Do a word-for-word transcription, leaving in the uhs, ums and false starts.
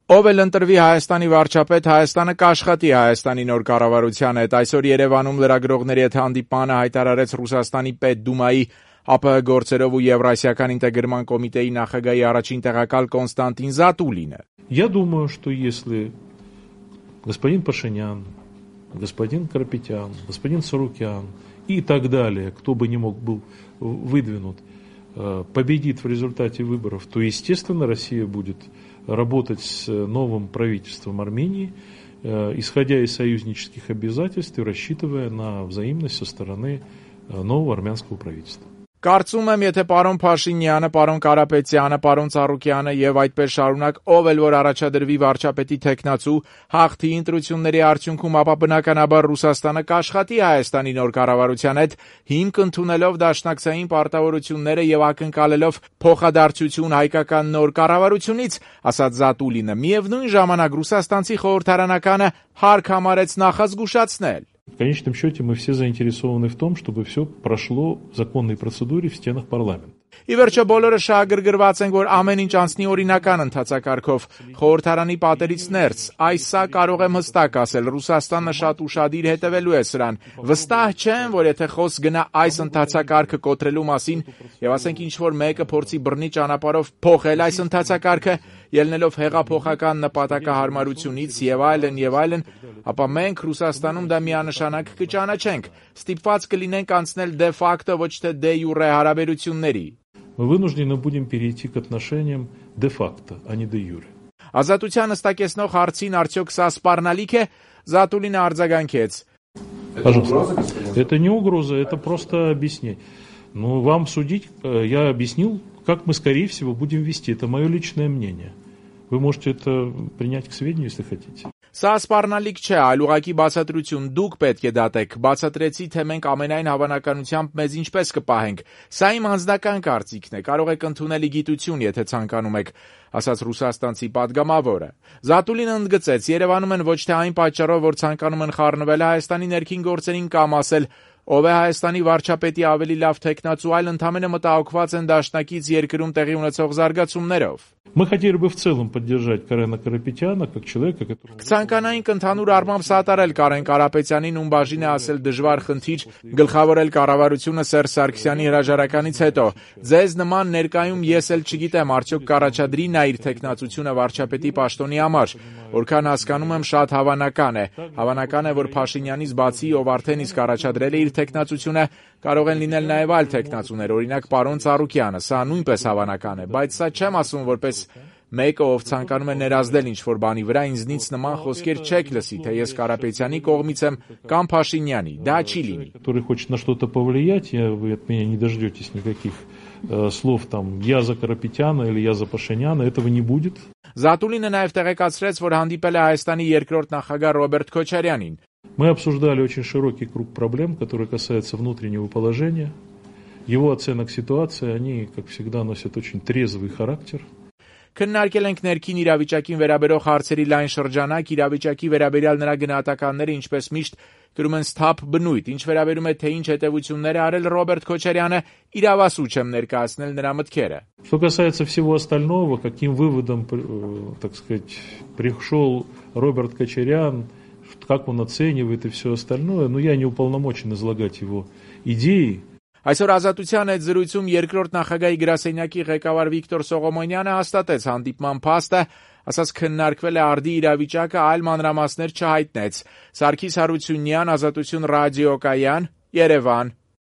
Ով էլ ընտրվի Հայաստանի վարչապետ, Հայաստանը կաշխատի Հայաստանի նոր կառավարության հետ։ Այսօր Երևանում լրագրողների հետ հանդիպմանը հայտարարեց Ռուսաստանի Պետդումայի ԱՊՀ գործերով ու Եվրասիական ինտեգրման կոմիտեի նախագահի առաջին տեղակալ Կոնստանտին Զատուլինը։ Я думаю, что если господин Пашинян, господин Карапетян, господин Сорокян и так далее, кто бы ни мог был выдвинут, победит в результате выборов, то, естественно, Россия будет работать с новым правительством Армении, исходя из союзнических обязательств и рассчитывая на взаимность со стороны нового армянского правительства. Կարծում եմ, եթե պարոն Փաշինյանը, պարոն Կարապետյանը, պարոն Ծառուկյանը եւ այդպես շարունակ ով էլ որ առաջադրվի վարչապետի տեխնացու հաղթի ընտրությունների արդյունքում, ապա բնականաբար Ռուսաստանը կաշխատի Հայաստանի նոր կառավարության հետ, հիմք ընդունելով դաշնակցային պարտավորությունները եւ ակնկալելով փոխադարձություն հայկական նոր կառավարությունից, ասաց Զատուլինը։ Միևնույն ժամանակ ռուսաստանցի խորհրդարանականը հարկ համարեց նախազգուշացնել. В конечном счете мы все заинтересованы в том, чтобы все прошло в законной процедуре в стенах парламента. Ի վերջո բոլորը շահագրգռված են, որ ամեն ինչ անցնի օրինական ընթացակարգով, խորհրդարանի պատերից ներս։ Այս սա կարող եմ հստակ ասել, Ռուսաստանը շատ ուշադիր հետևելու է սրան։ Վստահ չեմ, որ եթե խոսք գնա այս ընթացակարգը կոտրելու մասին, եւ ասենք ինչ որ մեկը փորձի բռնի ճանապարհով փոխել այս ընթացակարգը, ելնելով հեղափոխական նպատակահարմարությունից եւ այլն եւ այլն, ապա մենք Ռուսաստանում դա միանշանակ կճանաչենք, ստիպված կլինենք անցնել դե ֆակտո, ոչ թե դե յուրե հարաբերությունների։ Мы вынуждены будем перейти к отношениям де-факто, а не де-юре. Ազատության հստակեցնող հարցին արդյոք սա սպառնալիք է, Զատուլինը արձագանքեց. Пожалуйста. Это не угроза, это просто объяснение. Ну, вам судить, я объяснил, как мы, скорее всего, будем вести. Это мое личное мнение. Вы можете это принять к сведению, если хотите. Սա սպառնալիք չէ, այլ ուղղակի բացատրություն, դուք պետք է դատեք, բացատրեցի, թե մենք ամենայն հավանականությամբ մեզ ինչպես կպահենք, սա իմ անձնական կարծիքն է, կարող եք ընդունել գիտություն, եթե ցանկանում եք, ասաց ռուսաստանցի падգամավորը։ Զատուլինը ընդգծեց, Երևանում են ոչ թե այն պատճառով, որ ցանկանում են խառնվել Հայաստանի ներքին գործերին կամ ասել, ով է Հայաստանի վարչապետի ավելի լավ տեխնացու, այլ ընդամենը մտահոգված են դաշնակից երկրում տեղի ունեցող զարգացումներով։ Мы хотели бы в целом поддержать Карена Карапетяна как человека, который... Կցանկանայինք ընդհանուր առմամբ սատարել Կարեն Կարապետյանին, ում բաժին է ասել դժվար խնդիր գլխավորել կառավարությունը Սերժ Սարգսյանի հրաժարականից հետո։ Ձեզ նման ներկայում ես էլ չգիտեմ, արդյոք կառաջադրի նա իր տեխնացությունը վարչապետի պաշտոնի համար, որքան հասկանում եմ շատ հավանական է։ Հավանական է, որ Փաշինյանից բացի, ով արդեն իսկ առաջադրել է իր տեխնացությունը, կարող են լինել նաև այլ տեխնացուներ, օրինակ պարոն Ծառուկյանը, սա նույնպես հավանական է, բայց սա չեմ ասում որպես մեկը, ով ցանկանում է ներազդել ինչ-որ բանի վրա, ինձնից նման խոսքեր չեք լսի, թե ես Կարապետյանի կողմից եմ կամ Փաշինյանի, դա չի լինի։ Который хочет на что-то повлиять, вы от меня не дождетесь никаких слов там я за Карапетяна или я за Пашиняна, этого не будет. Զատուլինը նաև տեղեկացրեց, որ հանդիպել է Հայաստանի երկրորդ նախագահ Ռոբերտ Քոչարյանին։ Мы обсуждали очень широкий круг проблем, которые касаются внутреннего положения, его оценок ситуации, они, как всегда, носят очень трезвый характер. Քննարկել ենք ներքին իրավիճակին վերաբերող հարցերի լայն շրջանակ, իրավիճակի վերաբերյալ նրա գնահատականները, ինչպես միշտ կրում են սթափ բնույթ, ինչ վերաբերում է թե ինչ հետևություններ է արել Ռոբերտ Քոչարյանը, իրավասու չեմ ներկայացնել նրա մտքերը։ Что касается всего остального, каким выводом, так сказать, пришел Роберт Кочарян, как он оценивает и все остальное, но я не уполномочен излагать его идеи. Այսօր Ազատության հետ զրույցում երկրորդ նախագահի գրասենյակի ղեկավար Վիկտոր Սողոմոնյանը հաստատեց հանդիպման փաստը, ասաց քննարկվել է արդի իրավիճակը, այլ մանրամասներ չհայտնեց։ Սարգիս Հարությունյան, Ազատություն ռադիոկայան, Երևան։